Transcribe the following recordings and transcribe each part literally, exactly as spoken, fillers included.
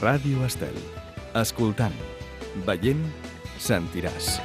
Ràdio Estel. Escoltant, veient, sentiràs.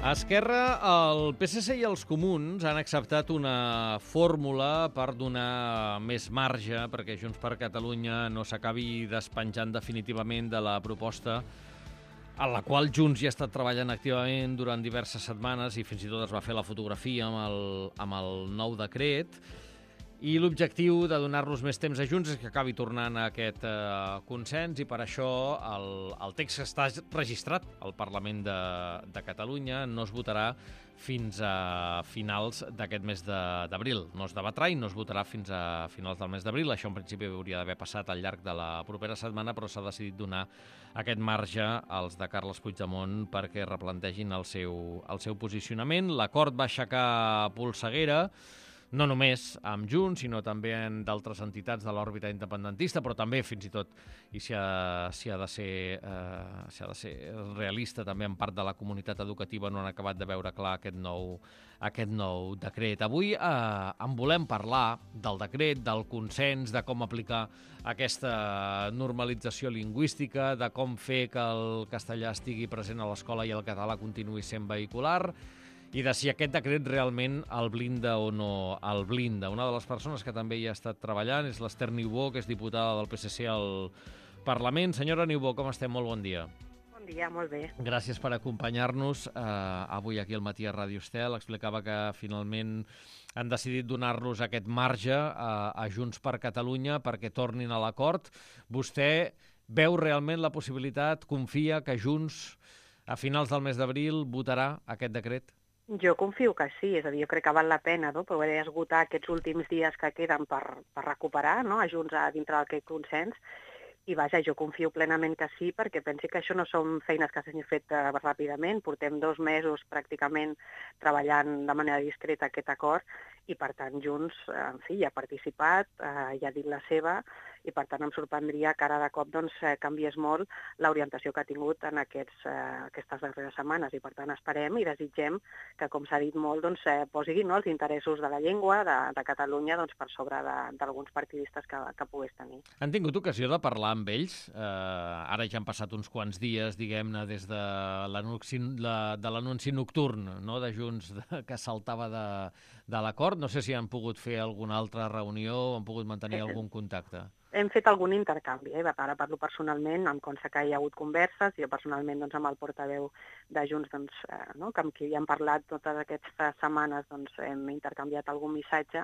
A Esquerra, el P S C i els comuns han acceptat una fórmula per donar més marge perquè Junts per Catalunya no s'acabi despenjant definitivament de la proposta a la qual Junts hi ha estat treballant activament durant diverses setmanes i fins i tot es va fer la fotografia amb el, amb el nou decret. I l'objectiu de donar-los més temps a Junts és que acabi tornant a aquest eh, consens i per això el, el text que està registrat al Parlament de, de Catalunya no es votarà fins a finals d'aquest mes d'abril. No es debatrà i no es votarà fins a finals del mes d'abril. Això en principi hauria d'haver passat al llarg de la propera setmana, però s'ha decidit donar aquest marge als de Carles Puigdemont perquè replantegin el seu, el seu posicionament. L'acord va aixecar polseguera, no només amb Junts, sinó també en d'altres entitats de l'òrbita independentista, però també, fins i tot, i si ha, si ha de ser, eh, si ha de ser realista, també en part de la comunitat educativa no han acabat de veure clar aquest nou, aquest nou decret. Avui eh, en volem parlar del decret, del consens, de com aplicar aquesta normalització lingüística, de com fer que el castellà estigui present a l'escola i el català continuï sent vehicular, i de si aquest decret realment el blinda o no el blinda. Una de les persones que també hi ha estat treballant és l'Ester Niubó, que és diputada del P S C al Parlament. Senyora Niubó, com estem? Molt bon dia. Bon dia, molt bé. Gràcies per acompanyar-nos eh, avui aquí al matí a Ràdio Estel. Explicava que finalment han decidit donar-los aquest marge a, a Junts per Catalunya perquè tornin a l'acord. Vostè veu realment la possibilitat, confia que Junts a finals del mes d'abril votarà aquest decret? Jo confio que sí, és a dir, jo crec que val la pena no? poder esgotar aquests últims dies que queden per, per recuperar no? a Junts a dintre d'aquest consens. I vaja, jo confio plenament que sí, perquè pensi que això no són feines que s'hagin fet uh, ràpidament. Portem dos mesos pràcticament treballant de manera discreta aquest acord i, per tant, Junts, en fi, hi ha participat, uh, hi ha dit la seva, i, per tant, em sorprendria que ara de cop doncs, canviés molt l'orientació que ha tingut en aquests, uh, aquestes darreres setmanes. I, per tant, esperem i desitgem que, com s'ha dit molt, doncs, eh, posi no, els interessos de la llengua de, de Catalunya doncs, per sobre d'alguns partidistes que, que pogués tenir. Han tingut ocasió de parlar amb ells? Eh, ara ja han passat uns quants dies, diguem-ne, des de l'anunci la, de l'anunci nocturn no, de Junts de, que saltava de, de l'acord. No sé si han pogut fer alguna altra reunió o han pogut mantenir algun contacte. Hem fet algun intercanvi, eh? Ara parlo personalment, em consta que hi ha hagut converses, jo personalment doncs, amb el portaveu de Junts, doncs, eh, no? que amb qui hem parlat totes aquestes setmanes, doncs, hem intercanviat algun missatge,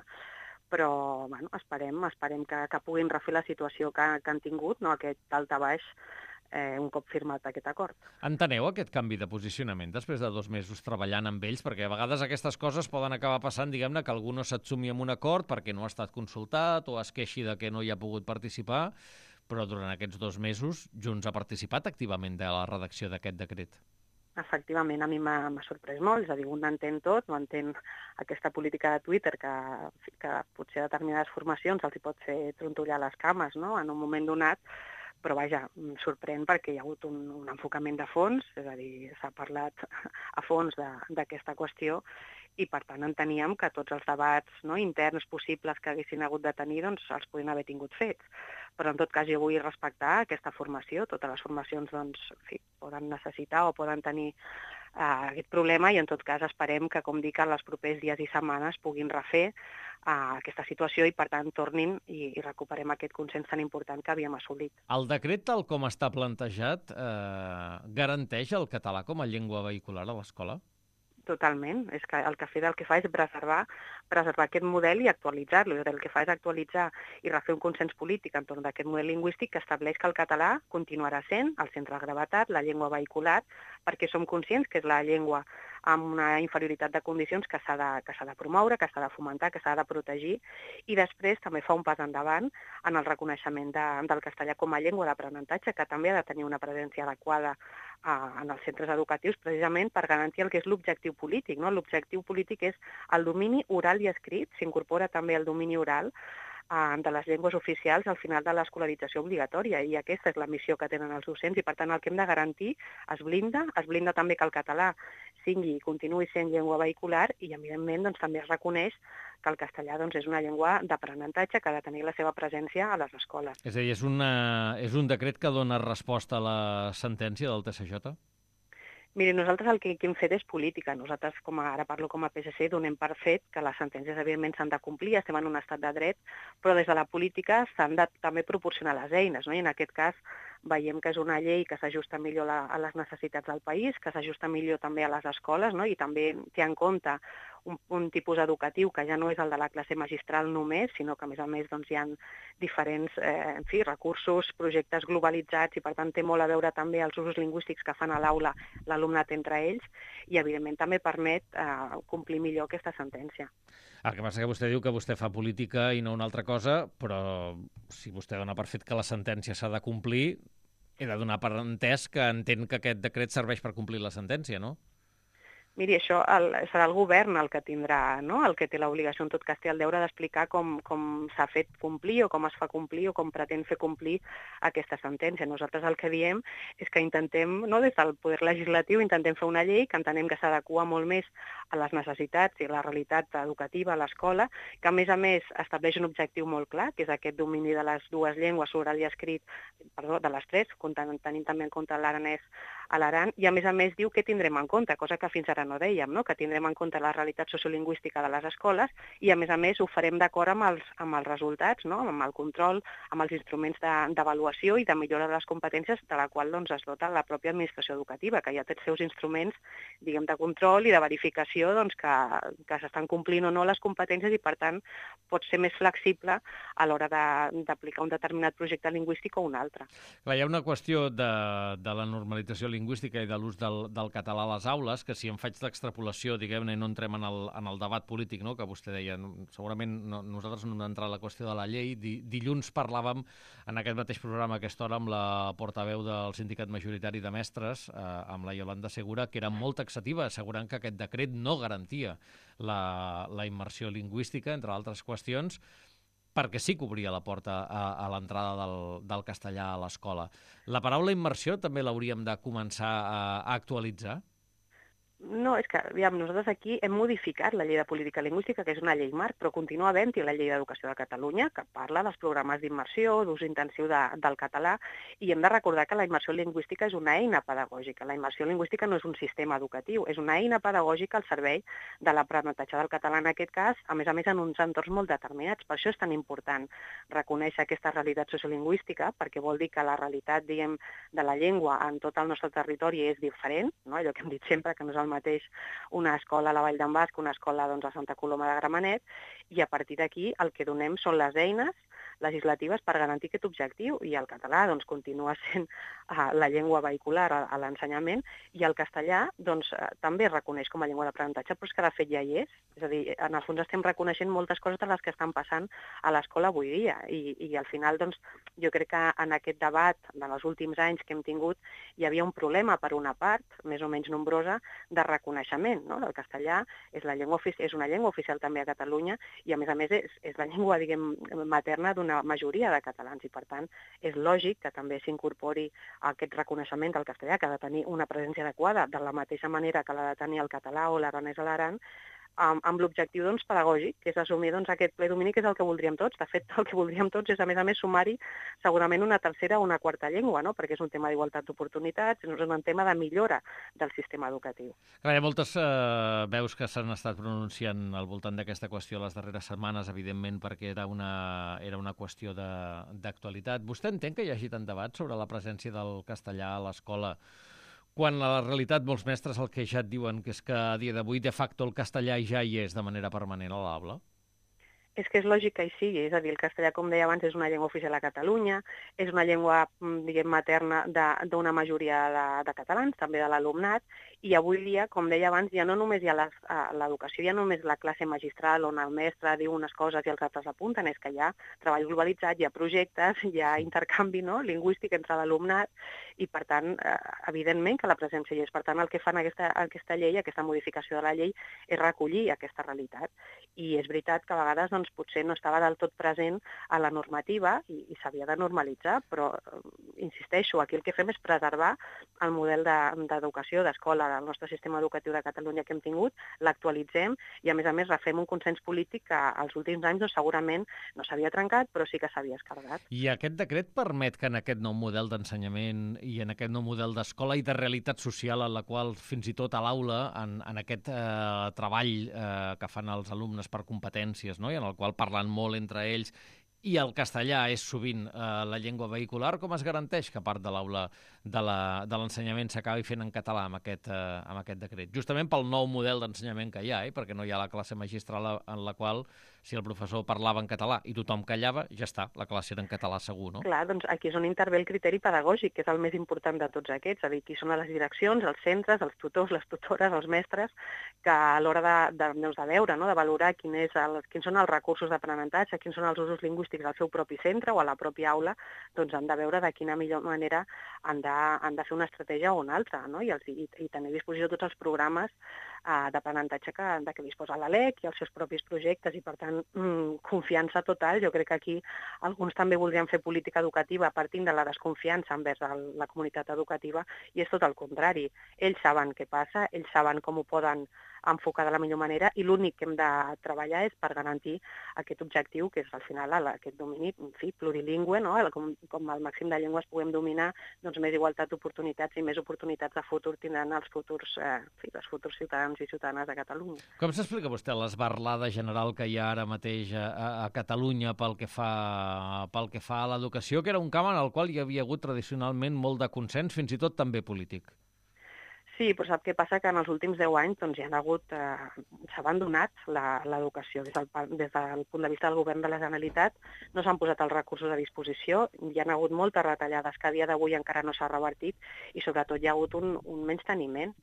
però bueno, esperem, esperem que, que puguin refer la situació que, que han tingut, no? Aquest daltabaix, eh, un cop firmat aquest acord. Enteneu aquest canvi de posicionament després de dos mesos treballant amb ells? Perquè a vegades aquestes coses poden acabar passant, diguem-ne, que algú no s'atsumi amb un acord perquè no ha estat consultat o es queixi de que no hi ha pogut participar, però durant aquests dos mesos Junts ha participat activament de la redacció d'aquest decret. Efectivament, a mi m'ha sorprès molt, és a dir, un entén tot, no entén aquesta política de Twitter que, que potser a determinades formacions els hi pot fer trontollar les cames, no?, en un moment donat, però vaja, em sorprèn perquè hi ha hagut un, un enfocament de fons, és a dir, s'ha parlat a fons d'aquesta qüestió i per tant enteníem que tots els debats no, interns possibles que haguessin hagut de tenir doncs, els podien haver tingut fets. Però en tot cas jo vull respectar aquesta formació, totes les formacions doncs, en fi, poden necessitar o poden tenir uh, aquest problema i en tot cas esperem que, com dic, en els propers dies i setmanes puguin refer uh, aquesta situació i per tant tornin i, i recuperem aquest consens tan important que havíem assolit. El decret, tal com està plantejat, eh, garanteix el català com a llengua vehicular a l'escola? Totalment. És que el que fa el que fa és preservar, preservar aquest model i actualitzar-lo. El que fa és actualitzar i refer un consens polític entorn d'aquest model lingüístic que estableix que el català continuarà sent el centre de gravetat, la llengua vehicular, perquè som conscients que és la llengua amb una inferioritat de condicions que s'ha de, que s'ha de promoure, que s'ha de fomentar, que s'ha de protegir, i després també fa un pas endavant en el reconeixement de, del castellà com a llengua d'aprenentatge, que també ha de tenir una presència adequada uh, en els centres educatius precisament per garantir el que és l'objectiu polític. No? L'objectiu polític és el domini oral i escrit, s'incorpora també el domini oral de les llengües oficials al final de l'escolarització obligatòria, i aquesta és la missió que tenen els docents, i per tant el que hem de garantir es blinda, es blinda també que el català sigui i continuï sent llengua vehicular, i evidentment doncs, també es reconeix que el castellà doncs, és una llengua d'aprenentatge que ha de tenir la seva presència a les escoles. És a dir, és, una, és un decret que dona resposta a la sentència del T S J? Miri, nosaltres el que, que hem fet és política. Nosaltres, com a, ara parlo com a P S C, donem per fet que les sentències, evidentment, s'han de complir, estem en un estat de dret, però des de la política s'han de també proporcionar les eines, no? I en aquest cas veiem que és una llei que s'ajusta millor la, a les necessitats del país, que s'ajusta millor també a les escoles, no? I també té en compte un, un tipus educatiu que ja no és el de la classe magistral només, sinó que a més a més doncs, hi ha diferents eh, en fi, recursos, projectes globalitzats, i per tant té molt a veure també els usos lingüístics que fan a l'aula l'alumnat entre ells, i evidentment també permet eh, complir millor aquesta sentència. El que passa que vostè diu que vostè fa política i no una altra cosa, però si vostè dona per fet que la sentència s'ha de complir, he de donar per entès que entén que aquest decret serveix per complir la sentència, no? Miri, això el, serà el govern el que tindrà, no? El que té l'obligació, en tot cas, té el deure d'explicar com, com s'ha fet complir o com es fa complir o com pretén fer complir aquesta sentència. Nosaltres el que diem és que intentem, no, des del poder legislatiu, intentem fer una llei que entenem que s'adequa molt més a les necessitats i a la realitat educativa a l'escola, que a més a més estableix un objectiu molt clar, que és aquest domini de les dues llengües, oral i escrit, perdó, de les tres, tenint també en compte l'aranès a l'Aran, i a més a més diu que tindrem en compte, cosa que fins ara no dèiem, no? Que tindrem en compte la realitat sociolingüística de les escoles, i a més a més ho farem d'acord amb els, amb els resultats, no? Amb el control, amb els instruments d'avaluació de, i de millora de les competències de la qual doncs, es dota la pròpia administració educativa, que ja té els seus instruments, diguem, de control i de verificació doncs, que, que s'estan complint o no les competències, i per tant pot ser més flexible a l'hora d'aplicar un determinat projecte lingüístic o un altre. Clar, hi ha una qüestió de, de la normalització lingüística i de l'ús del, del català a les aules, que si em faig l'extrapolació, diguem-ne, i no entrem en el, en el debat polític, no?, que vostè deia, segurament no, nosaltres no hem d'entrar a la qüestió de la llei. Di, dilluns parlàvem en aquest mateix programa a aquesta hora amb la portaveu del Sindicat Majoritari de Mestres, eh, amb la Iolanda Segura, que era molt taxativa, assegurant que aquest decret no garantia la, la immersió lingüística, entre altres qüestions, perquè sí que obria la porta a, a l'entrada del, del castellà a l'escola. La paraula immersió també l'hauríem de començar a, a actualitzar? No, és que, aviam, nosaltres aquí hem modificat la llei de política lingüística, que és una llei marc, però continua havent-hi la llei d'educació de Catalunya, que parla dels programes d'immersió, d'ús intensiu de, del català, i hem de recordar que la immersió lingüística és una eina pedagògica. La immersió lingüística no és un sistema educatiu, és una eina pedagògica al servei de l'aprenentatge del català, en aquest cas, a més a més en uns entorns molt determinats. Per això és tan important reconèixer aquesta realitat sociolingüística, perquè vol dir que la realitat, diguem, de la llengua en tot el nostre territori és diferent, no? Allò que hem dit sempre, que no és el mateix una escola a la Vall d'en Bas que una escola doncs, a Santa Coloma de Gramenet, i a partir d'aquí el que donem són les eines legislatives per garantir aquest objectiu, i el català doncs, continua sent uh, la llengua vehicular a, a l'ensenyament, i el castellà doncs, uh, també es reconeix com a llengua d'aprenentatge, però és que de fet ja hi és. És a dir, en el fons estem reconeixent moltes coses de les que estan passant a l'escola avui dia, i, i al final doncs, jo crec que en aquest debat, en els últims anys que hem tingut, hi havia un problema per una part, més o menys nombrosa, de reconeixement, no? El castellà és, la llengua, és una llengua oficial també a Catalunya, i a més a més és, és la llengua, diguem, materna d'una majoria de catalans, i per tant és lògic que també s'incorpori aquest reconeixement del castellà, que ha de tenir una presència adequada de la mateixa manera que l'ha de tenir el català o l'aranès a l'Aran, amb, amb l'objectiu doncs, pedagògic, que és assumir doncs, aquest ple domini, que és el que voldríem tots. De fet, el que voldríem tots és, a més a més, sumar-hi segurament una tercera o una quarta llengua, no? Perquè és un tema d'igualtat d'oportunitats, és un tema de millora del sistema educatiu. Clar, hi ha moltes eh, veus que s'han estat pronunciant al voltant d'aquesta qüestió les darreres setmanes, evidentment, perquè era una, era una qüestió d'actualitat. Vostè entén que hi hagi tant debat sobre la presència del castellà a l'escola, quan a la realitat molts mestres el que ja et diuen que és que a dia d'avui de facto el castellà ja hi és de manera permanent a l'aula? És que és lògic que hi sigui, és a dir, el castellà, com deia abans, és una llengua oficial a Catalunya, és una llengua, diguem, materna d'una majoria de, de catalans, també de l'alumnat, i avui dia, com deia abans, ja no només hi ha l'educació, ja no només la classe magistral on el mestre diu unes coses i els altres apunten, és que hi ha treball globalitzat, hi ha projectes, hi ha intercanvi, no?, lingüístic entre l'alumnat, i per tant, evidentment que la presència hi és. Per tant, el que fan aquesta, aquesta llei, aquesta modificació de la llei, és recollir aquesta realitat. I és veritat que a vegades doncs, potser no estava del tot present a la normativa i, i s'havia de normalitzar, però insisteixo, aquí el que fem és preservar el model d'educació, de, d'escola del nostre sistema educatiu de Catalunya que hem tingut, l'actualitzem i a més a més refem un consens polític que als últims anys doncs, segurament no s'havia trencat, però sí que s'havia escardat. I aquest decret permet que en aquest nou model d'ensenyament i en aquest nou model d'escola i de realitat social en la qual fins i tot a l'aula, en, en aquest eh, treball eh, que fan els alumnes per competències, no?, i en el qual parlen molt entre ells, i el castellà és sovint eh, la llengua vehicular, com es garanteix que part de l'aula de l'ensenyament s'acabi fent en català amb aquest, eh, amb aquest decret? Justament pel nou model d'ensenyament que hi ha, eh? Perquè no hi ha la classe magistral en la qual, si el professor parlava en català i tothom callava, ja està, la classe era en català segur, no? Clar, doncs aquí és on intervé el criteri pedagògic, que és el més important de tots aquests, és a dir, qui són les direccions, els centres, els tutors, les tutores, els mestres, que a l'hora de, de, doncs de veure, no?, de valorar quin és el, quins són els recursos d'aprenentatge, quins són els usos lingüístics al seu propi centre o a la pròpia aula, doncs han de veure de quina millor manera han de, han de fer una estratègia o una altra, no?, i, els, i, i tenir a disposició tots els programes eh, d'aprenentatge que, de què disposa la LEC i els seus propis projectes, i per tant, mm, confiança total. Jo crec que aquí alguns també voldrien fer política educativa partint de la desconfiança envers el, la comunitat educativa, i és tot el contrari. Ells saben què passa, ells saben com ho poden enfocar de la millor manera, i l'únic que hem de treballar és per garantir aquest objectiu, que és al final aquest domini, en fi, plurilingüe, no?, com, com el màxim de llengües puguem dominar, doncs més igualtat d'oportunitats i més oportunitats de futur tindran els futurs, eh, en fi, els futurs ciutadans i ciutadanes de Catalunya. Com s'explica vostè l'esbarlada general que hi ha ara mateix a, a Catalunya pel que fa, pel que fa a l'educació, que era un camp en el qual hi havia hagut tradicionalment molt de consens, fins i tot també polític? Sí, però sap què passa? Que en els últims deu anys doncs, hi ha hagut, eh, s'ha abandonat l'educació des, del, des del punt de vista del govern de la Generalitat, no s'han posat els recursos a disposició, hi ha hagut moltes retallades que a dia d'avui encara no s'ha revertit, i sobretot hi ha hagut un, un menysteniment.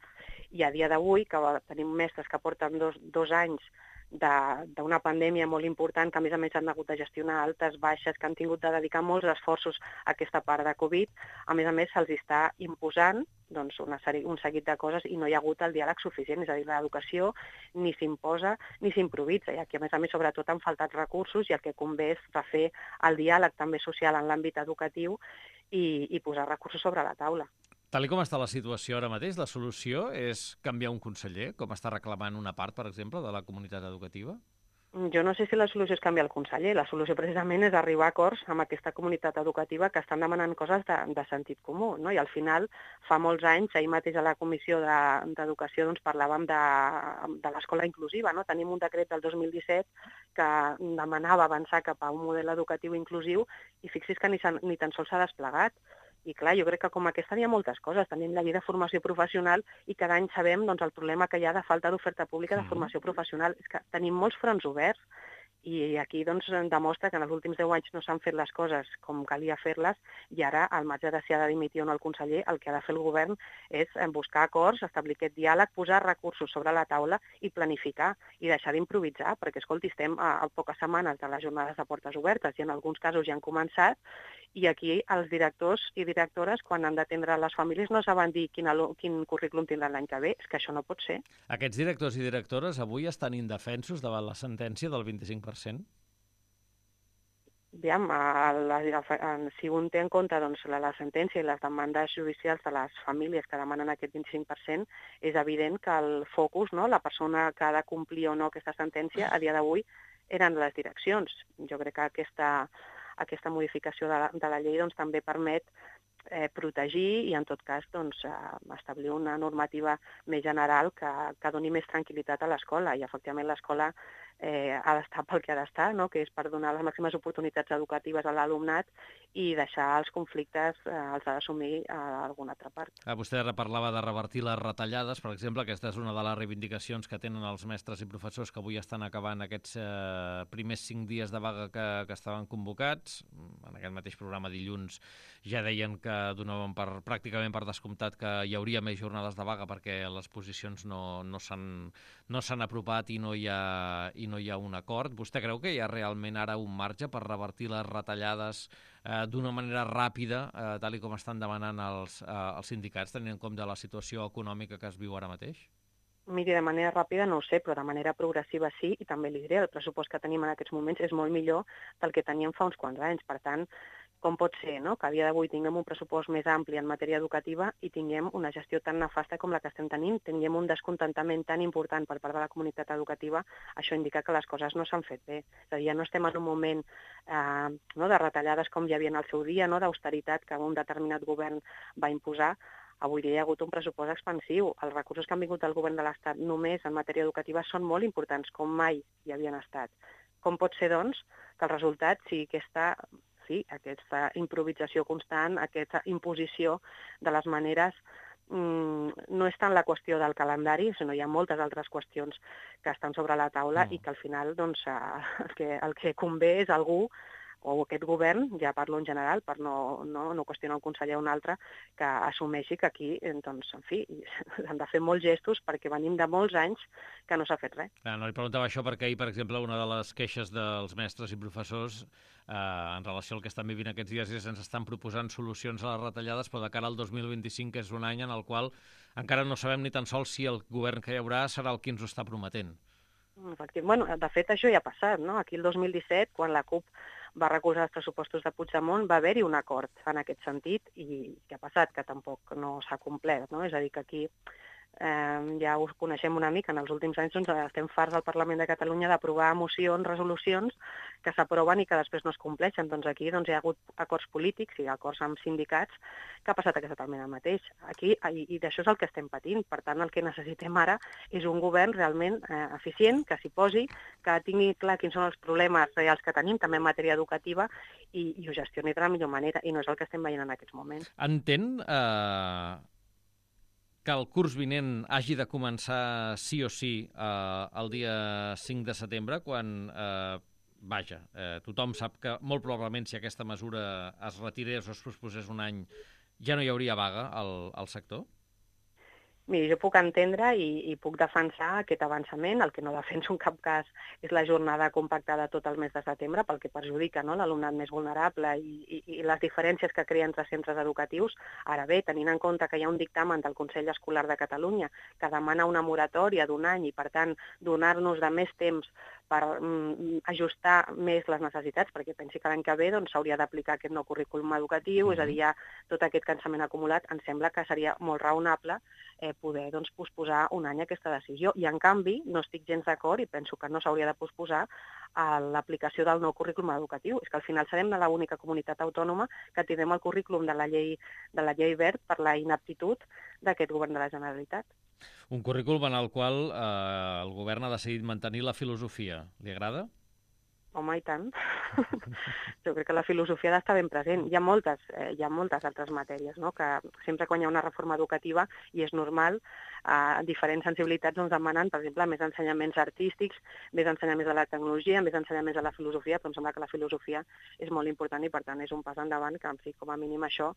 I a dia d'avui, que tenim mestres que porten dos, dos anys d'una pandèmia molt important, que a més a més han hagut de gestionar altes, baixes, que han tingut de dedicar molts esforços a aquesta part de Covid, a més a més se'ls està imposant doncs, una sèrie, un seguit de coses, i no hi ha hagut el diàleg suficient, és a dir, l'educació ni s'imposa ni s'improvisa, i aquí a més a més sobretot han faltat recursos, i el que convé és refer el diàleg també social en l'àmbit educatiu i, i posar recursos sobre la taula. Tal com està la situació ara mateix, la solució és canviar un conseller, com està reclamant una part, per exemple, de la comunitat educativa? Jo no sé si la solució és canviar el conseller. La solució precisament és arribar a acords amb aquesta comunitat educativa que estan demanant coses de, de sentit comú, no? I al final, fa molts anys, ahir mateix a la Comissió d'Educació doncs, parlàvem de, de l'escola inclusiva, no? Tenim un decret del dos mil disset que demanava avançar cap a un model educatiu inclusiu, i fixi's que ni, ni tan sols s'ha desplegat. I clar, jo crec que com aquesta hi ha moltes coses. Tenim la llei de formació professional i cada any sabem doncs, el problema que hi ha de falta d'oferta pública de formació professional. És que tenim molts fronts oberts, i aquí doncs, demostra que en els últims deu anys no s'han fet les coses com calia fer-les, i ara, al marge de si ha de dimitir o no el conseller, el que ha de fer el govern és buscar acords, establir aquest diàleg, posar recursos sobre la taula i planificar, i deixar d'improvisar, perquè, escolti, estem a, a poques setmanes de les jornades de portes obertes, i en alguns casos ja han començat, i aquí els directors i directores, quan han d'atendre les famílies, no saben dir quin, quin currículum tindran l'any que ve. És que això no pot ser. Aquests directors i directores avui estan indefensos davant la sentència del vint-i-cinc per cent? Aviam, la, la, si un té en compte doncs, la, la sentència i les demandes judicials de les famílies que demanen aquest vint-i-cinc per cent, és evident que el focus, no, la persona que ha de complir o no aquesta sentència, a dia d'avui eren les direccions. Jo crec que aquesta... aquesta modificació de la, de la llei doncs, també permet eh, protegir i, en tot cas, doncs, eh, establir una normativa més general que, que doni més tranquil·litat a l'escola. I, efectivament, l'escola eh, ha d'estar pel que ha d'estar, no? Que és per donar les màximes oportunitats educatives a l'alumnat i deixar els conflictes eh, els ha d'assumir a alguna altra part. Ah, vostè parlava de revertir les retallades, per exemple, aquesta és una de les reivindicacions que tenen els mestres i professors que avui estan acabant aquests eh, primers cinc dies de vaga que, que estaven convocats. En aquest mateix programa dilluns ja deien que donaven per, pràcticament per descomptat que hi hauria més jornades de vaga perquè les posicions no, no s'han no s'han apropat i no hi ha, i no hi ha un acord. Vostè creu que hi ha realment ara un marge per revertir les retallades eh, d'una manera ràpida, eh, tal i com estan demanant els, eh, els sindicats, tenint en compte la situació econòmica que es viu ara mateix? Miri, de manera ràpida no ho sé, però de manera progressiva sí, i també li diré, el pressupost que tenim en aquests moments és molt millor del que teníem fa uns quants anys. Per tant, com pot ser, no?, que a dia d'avui tinguem un pressupost més ampli en matèria educativa i tinguem una gestió tan nefasta com la que estem tenint, tinguem un descontentament tan important per part de la comunitat educativa, això indica que les coses no s'han fet bé. És a dir, ja no estem en un moment eh, no, de retallades com hi havia en el seu dia, no?, d'austeritat que un determinat govern va imposar. Avui dia hi ha hagut un pressupost expansiu. Els recursos que han vingut del govern de l'Estat només en matèria educativa són molt importants, com mai hi havien estat. Com pot ser, doncs, que el resultat sigui aquesta... Sí, aquesta improvisació constant, aquesta imposició de les maneres, mmm, no és tant la qüestió del calendari, sinó hi ha moltes altres qüestions que estan sobre la taula mm. i que al final doncs, el, que, el que convé és algú o aquest govern, ja parlo en general, per no, no, no qüestionar un conseller o un altre, que assumeixi que aquí, doncs, en fi, han de fer molts gestos perquè venim de molts anys que no s'ha fet res. Ah, no li preguntava això perquè ahir, per exemple, una de les queixes dels mestres i professors eh, en relació al que estan vivint aquests dies és que ens estan proposant solucions a les retallades, però de cara al dos mil vint-i-cinc, que és un any en el qual encara no sabem ni tan sols si el govern que hi haurà serà el que ens ho està prometent. Bueno, de fet, això ja ha passat, no? Aquí el dos mil disset, quan la CUP va recolzar els pressupostos de Puigdemont, va haver-hi un acord en aquest sentit i què ha passat? Que tampoc no s'ha complert, no? És a dir, que aquí eh, ja us coneixem una mica, en els últims anys doncs, estem farts al Parlament de Catalunya d'aprovar mocions, resolucions que s'aproven i que després no es compleixen. Doncs aquí doncs, hi ha hagut acords polítics i acords amb sindicats que ha passat exactament el mateix. Aquí, i, i d'això és el que estem patint. Per tant, el que necessitem ara és un govern realment eh, eficient, que s'hi posi, que tingui clar quins són els problemes reals que tenim, també en matèria educativa, i, i ho gestioni de la millor manera, i no és el que estem veient en aquests moments. Entén eh, que el curs vinent hagi de començar sí o sí eh, el dia cinc de setembre, quan... Eh, Vaja, eh, tothom sap que molt probablement si aquesta mesura es retirés o es posposés un any ja no hi hauria vaga al, al sector? Miri, jo puc entendre i, i puc defensar aquest avançament. El que no defenso en cap cas és la jornada compactada tot el mes de setembre, pel que perjudica, no?, l'alumnat més vulnerable i, i, i les diferències que crea entre centres educatius. Ara bé, tenint en compte que hi ha un dictamen del Consell Escolar de Catalunya que demana una moratòria d'un any i, per tant, donar-nos de més temps per mm, ajustar més les necessitats, perquè pensi que l'any que ve doncs, s'hauria d'aplicar aquest nou currículum educatiu, mm-hmm. és a dir, ja tot aquest cansament acumulat, em sembla que seria molt raonable eh, poder doncs, posposar un any aquesta decisió. I, en canvi, no estic gens d'acord i penso que no s'hauria de posposar a l'aplicació del nou currículum educatiu. És que al final serem de l'única comunitat autònoma que tindrem el currículum de la llei, de la llei Wert per la inaptitud d'aquest govern de la Generalitat. Un currículum en el qual eh, el govern ha decidit mantenir la filosofia. Li agrada? Home, i tant. Jo crec que la filosofia ha d'estar ben present. Hi ha moltes, eh, hi ha moltes altres matèries, no?, que sempre quan hi ha una reforma educativa, i és normal, eh, diferents sensibilitats ens demanen, per exemple, més ensenyaments artístics, més ensenyaments de la tecnologia, més ensenyaments de la filosofia, però em sembla que la filosofia és molt important i, per tant, és un pas endavant que, en fi, com a mínim això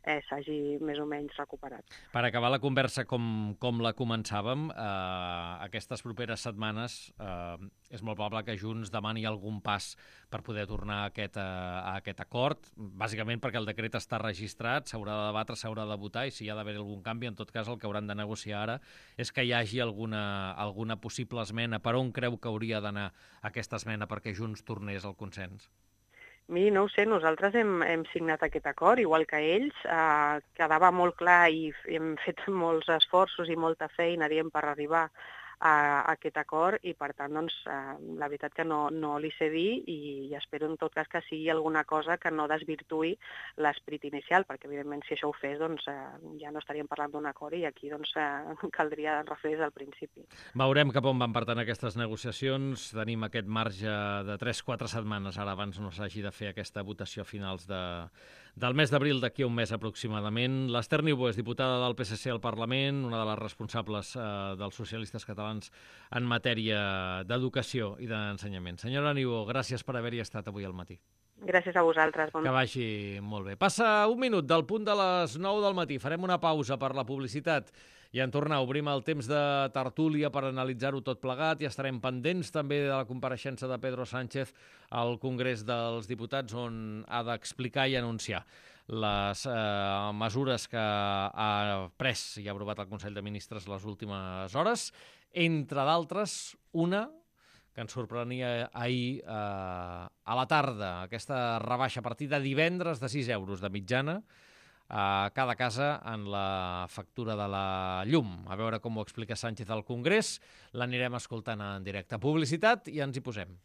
eh, s'hagi més o menys recuperat. Per acabar la conversa com, com la començàvem, eh, aquestes properes setmanes eh, és molt probable que Junts demani algun pas per poder tornar a aquest, a aquest acord, bàsicament perquè el decret està registrat, s'haurà de debatre, s'haurà de votar, i si hi ha d'haver algun canvi, en tot cas el que hauran de negociar ara és que hi hagi alguna, alguna possible esmena. Per on creu que hauria d'anar aquesta esmena perquè Junts tornés al consens? Miri, no ho sé, nosaltres hem, hem signat aquest acord, igual que ells, eh, quedava molt clar i hem fet molts esforços i molta feina, diem, per arribar a, a aquest acord i, per tant, doncs, eh, la veritat que no, no li sé dir i, i espero, en tot cas, que sigui alguna cosa que no desvirtuï l'esperit inicial, perquè, evidentment, si això ho fes, doncs, eh, ja no estaríem parlant d'un acord i aquí doncs, eh, caldria refer des del principi. Veurem cap on van per tant aquestes negociacions. Tenim aquest marge de tres quatre setmanes, ara abans no s'hagi de fer aquesta votació a finals de, del mes d'abril, d'aquí a un mes aproximadament. L'Ester Niubó és diputada del P S C al Parlament, una de les responsables eh, dels socialistes catalans en matèria d'educació i d'ensenyament. Senyora Niubó, gràcies per haver-hi estat avui al matí. Gràcies a vosaltres. Bon... Que vagi molt bé. Passa un minut del punt de les nou del matí. Farem una pausa per la publicitat i en tornar obrim el temps de tertúlia per analitzar-ho tot plegat i estarem pendents també de la compareixença de Pedro Sánchez al Congrés dels Diputats, on ha d'explicar i anunciar les eh, mesures que ha pres i ha aprovat el Consell de Ministres les últimes hores, entre d'altres una que ens sorprenia ahir eh, a la tarda, aquesta rebaixa a partir de divendres de sis euros de mitjana a cada casa en la factura de la llum. A veure com ho explica Sánchez al Congrés. L'anirem escoltant en directe. Publicitat i ens hi posem.